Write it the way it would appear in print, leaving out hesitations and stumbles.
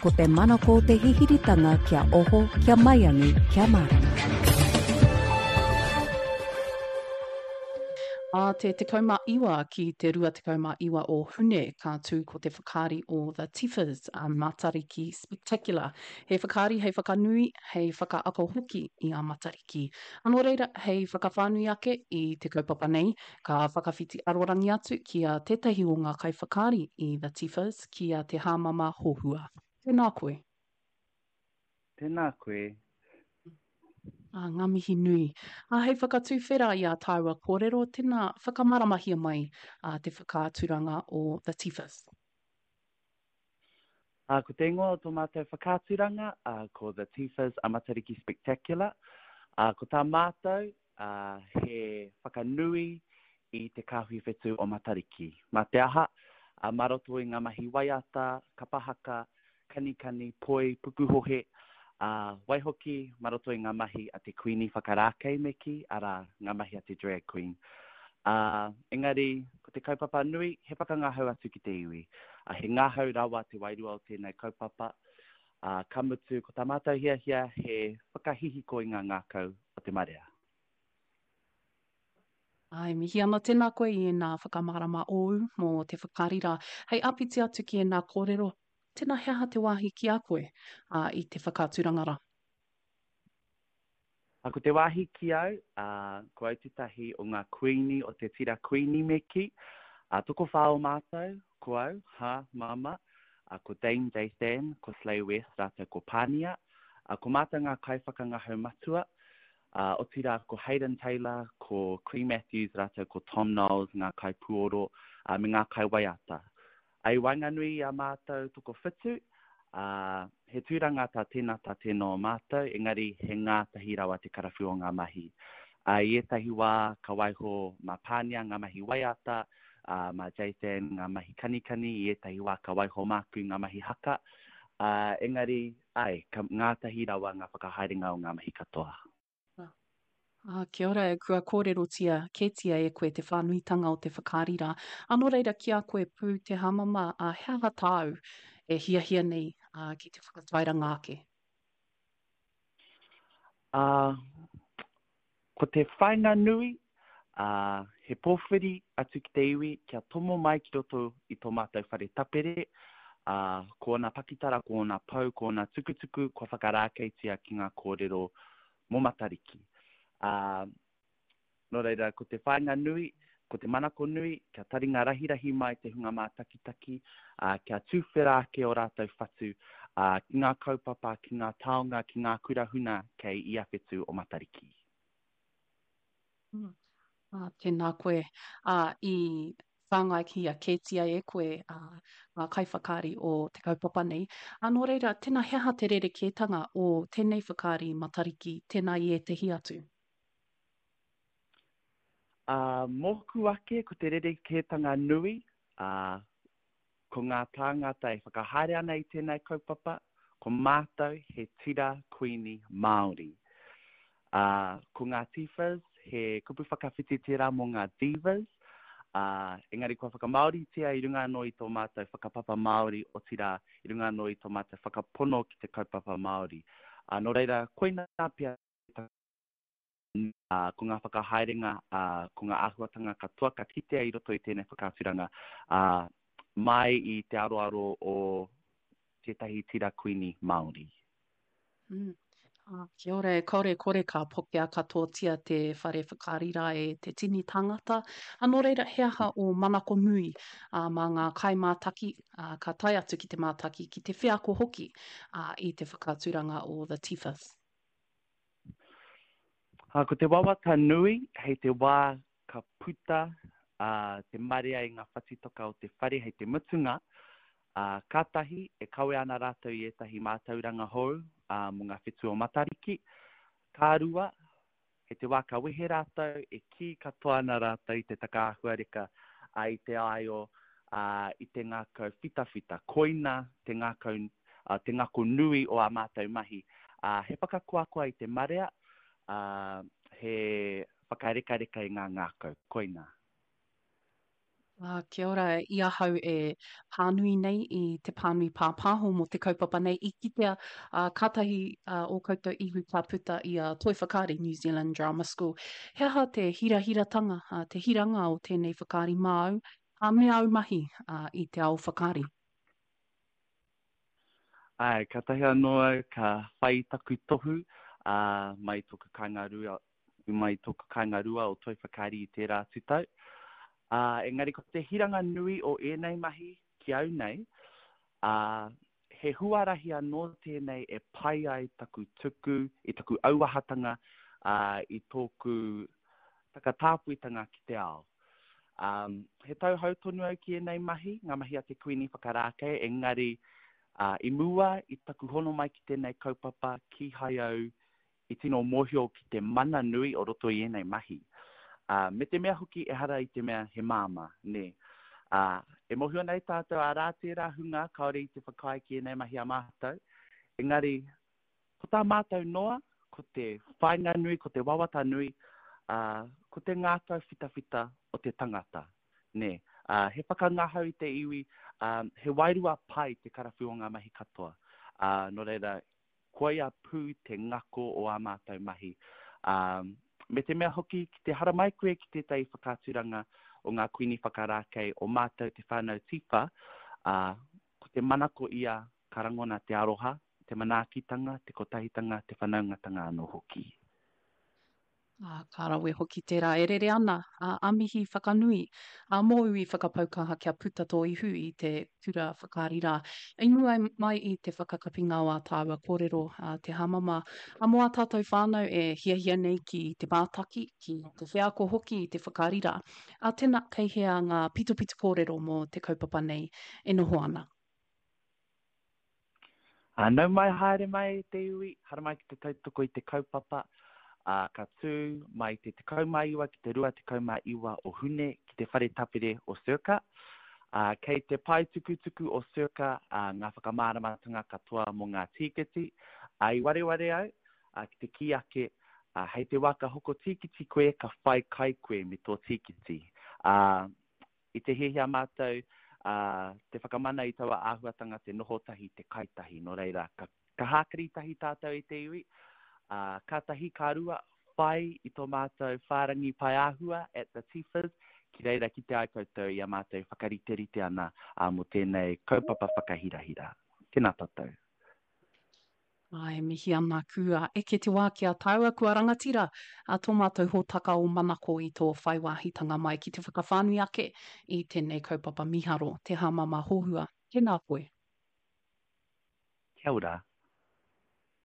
Ko te manako o te hihiritanga kia oho, kia maiangi, kia mārama. Ā te 19 ki te 29 o Hune ka tū ko te whakaari o The Tiffers, a Matariki Spectacular. He whakaari hei whakanui, hei whakaako hoki i a Matariki. Nō reira, hei whakawhānui ake i te kaupapa nei, ka whakawhiti arorangi atu ki a tētahi o ngā kaiwhakaari i The Tiffers, ki a Te Hāmama Hohua. Tēnā koe. Tēnā koe. Ā, ngā mihi nui. Ā, hei whakatuwhera i ā tāua kōrero, tēnā, whakamāramahia mai ā, te whakaaturanga o The Tiffers. Ā, ko te ingoa o tō mātou whakaaturanga, ā, ko The Tiffers a Matariki Spectacular. Ā, ko tā mātou, ā, he whakanui i te kāhui whetū o Matariki. Mā te aha, ā, mā roto i ngā mahi waiata, kapa haka, kanikani, poi, pukuhohe, ā, waihoki mā roto i ngā mahi a te Kuini whakarākei me kī, arā, ngā mahi a te drag queen. Ā, engari, ko te kaupapa nui, he whakangahau atu ki te iwi. Ā, he ngahau rawa te wairua o tēnei kaupapa, ā, ka mutu, ko tā mātou hiahia he whakahihiko i ngā ngākau o te marea. Āe, mihi ana tēnā koe i ēnā whakamārama ōu mō te whakaari rā. Hei āpiti atu ki ēnā kōrero, tēnā he aha te wāhi ki a koe ā, i te whakaaturanga rā? Ā, ko te wāhi ki au, ā, ko au tētahi o ngā kuīni o te tira kuīni me kī. Ā, tokowhā o mātou, ko au, hā, māmā, ā, ko Dame Jathan, ko Slay West rātou ko Pānia. Ā, ko mātou ngā kaiwhakangahau matua, Ā, otirā ko Hayden Taylor, ko Cree Matthews rātou ko Tom Knowles ngā kaipuoro, ā, me ngā kaiwaiata. Ā, i waenganui i a mātou tokowhitu, ā, he tūranga tā tēnā tā tēnā o mātou, engari he ngātahi rawa te karawhiu o ngā mahi. Ā, i ētahi wā ka waiho mā Pānia ngā mahi waiata, ā, mā Jathan ngā mahi kanikani, i ētahi wā ka waiho māku ngā mahi haka, ā, engari, Āe, ka ngātahi rawa ngā whakahaerenga o ngā mahi katoa. Ā, kia ora, kua kōrerotia kētia e koe te whānuitanga o te whakaari rā. Ā, nō reira, ki a koe pū te hāmama, ā, he aha tāu e hiahia nei, ā, ki te whakatairanga ake? Ā, Ko te whāinga nui, ā, he pōwhiri atu ki te iwi kia tomo mai ki roto i tō mātou whare tapere, ā, ko ōna pakitara, ko ōna pou, ko ōna tukutuku kua whakarākeitia ki ngā kōrero mō Matariki. Ā, nō reira, ko te whāinga nui, ko te manako nui, kia taringa rahirahi mai te hunga mātakitaki, ā, kia tuwhera ake ō rātou whatu, ā, ki ngā kaupapa, ki ngā taonga, ki ngā kura huna kei ia whetū o Matariki. Mm. Ā, tēnā koe. Ā, i whāngaihia kētia e koe ā, ngā kaiwhakaari o te kaupapa nei. Ā, nō reira, tēnā he aha te rerekētanga o tēnei whakaari Matariki, tēnā i ētehi atu? Ā, mōku ake, ko te rerekētanga nui, ā, ko ngā tāngata e whakahaere ana i tēnei kaupapa, ko mātou he tira kuini Māori. Ā, ko ngā Tifas, he kupu whakawhiti tērā mō ngā divas, ā, engari kua whakamāoritia i runga anō i tō mātou whakapapa Māori, otirā, i runga anō i tō mātou whakapono ki te kaupapa Māori. Ā, nō reira, koinā pea te ā, ko ngā whakahaerenga, ā, ko ngā āhuatanga katoa ka kitea i roto i tēnei whakaaturanga, ā, mai i te aroaro o tētahi tira kuini Māori. Mm. Ah, kia ora, e kore kore ka pokea katoatia te whare whakaari rā e te tini tāngata. A nō reira, he aha ō manako nui ā, mā ngā kaimātaki, ā, ka tae atu ki te mātaki, ki te wheako hoki ā, i te whakaaturanga o The Tifas? Ā, ko te wawata nui, hei te wā ka puta te marea i ngā whatitoka o te whare hei te mutunga, ā, kātahi e kawe ana rātou i ētahi mātauranga hou mō ngā whetū o Matariki. Ka rua, hei te wā ka wehe rātou, e kī katoa ana rātou i te takaāhuareka, ā, i te āio, ā, i te ngākau whitawhita. Koina te ngākau, ā, te ngako nui o ā mātou mahi. Ā, he whakakoakoa i te marea, ā, he whakarekareka i ngā ngākau. Koina. Ā, kia ora, i ahau e pānui nei i te pānui pāpāho mō te kaupapa nei, i kitea, ā, kātahi ā, ō koutou ihu ka puta i a Toi Whakaari, New Zealand Drama School. He aha te hirahiratanga, ā, te hiranga o tēnei whakaari māu, ā, me āu mahi, ā, i te ao whakaari? Āe, kātahi anō au ka whai i taku tohu, ā, mai i tōku kāinga rua, i mai i tōku kāinga rua o Toi Whakaari i tērā atu tau. Ā, engari ko te hiranga nui o ēnei mahi ki au nei, ā, he huarahi anō tēnei e pai ai taku tuku i taku auahatanga, ā, i tōku takatāpuitanga ki te ao. Ā, he tauhou tonu au ki ēnei mahi, ngā mahi a te Kuini Whakarākei, engari, ā, i mua i taku hono mai ki tēnei kaupapa, kīhai au i tino mōhio ki te mana nui o roto i ēnei mahi. Ā, me te mea hoki ehara i te mea he māmā, nē. Ā, e mōhio nei tātou arā tērā hunga kāore i te whakaae ki ēnei mahi a mātou, engari ko tā mātou noa, ko te whāinga nui, ko te wawata nui, ā, ko te ngākau whitawhita o te tangata, nē. Ā, he whakangahau i te iwi, ā, he wairua pai te karawhiu o ngā mahi katoa. Ā, nō reira, Koia pū te ngako o ā mātou mahi. Ā, me te mea hoki, ki te haramai koe ki tētahi whakaaturanga o ngā Kuini Whakarākei o mātou te whānau Tiwha, ā, ko te manako ia ka rangona te aroha, te manaakitanga, te kotahitanga, te whanaungatanga anō hoki. Ā, ka rawe hoki tērā e rere ana, ā, a mihi whakanui, ā, mōu i whakapau kaha kia puta tō ihu i te kura whakaari rā. I mua mai i te whakakapinga o ā tāua kōrero, ā, te hāmama, ā, mō ā tātou whānau e hiahia nei ki te mātaki, ki te wheako hoki i te whakaari rā, ā, tēnā, kei hea ngā pitopito kōrero mō te kaupapa nei e noho ana? Ā, nau mai haere mai e te iwi, haramai ki te tautoko i te kaupapa, ā, ka tū mai te 19 ki te 29 o Hune ki te Whare Tapere o Circa. Ā, kei te pae tukutuku o Circa ā, ngā whakamāramatanga katoa mō ngā tīkiti. Ā, i wareware au, ā, ki te kī ake, ā, hei te wā ka hoko tīkiti koe, ka whai kai koe me tō tīkiti. Ā, I te hiahia mātou te whakamana i taua āhuatanga te noho tahi, te kai tahi, nō reira, ka, ka hākari tahi tātou i te iwi, ā, ka tahi, ka rua, whai i tō mātou whārangi paeāhua at The Tifas, ki reira kite ai koutou i a mātou e whakariterite ana mō tēnei kaupapa whakahirahira. Tēnā tātou. Ā, e mihi ana kua eke te wā ki a tāua kua rangatira a tō mātou hōtaka o Manako i tō whai wāhitanga mai ki te whakawhānui ake i tēnei kaupapa mīharo, te hāmama hohua. Tēnā koe. Kia ora.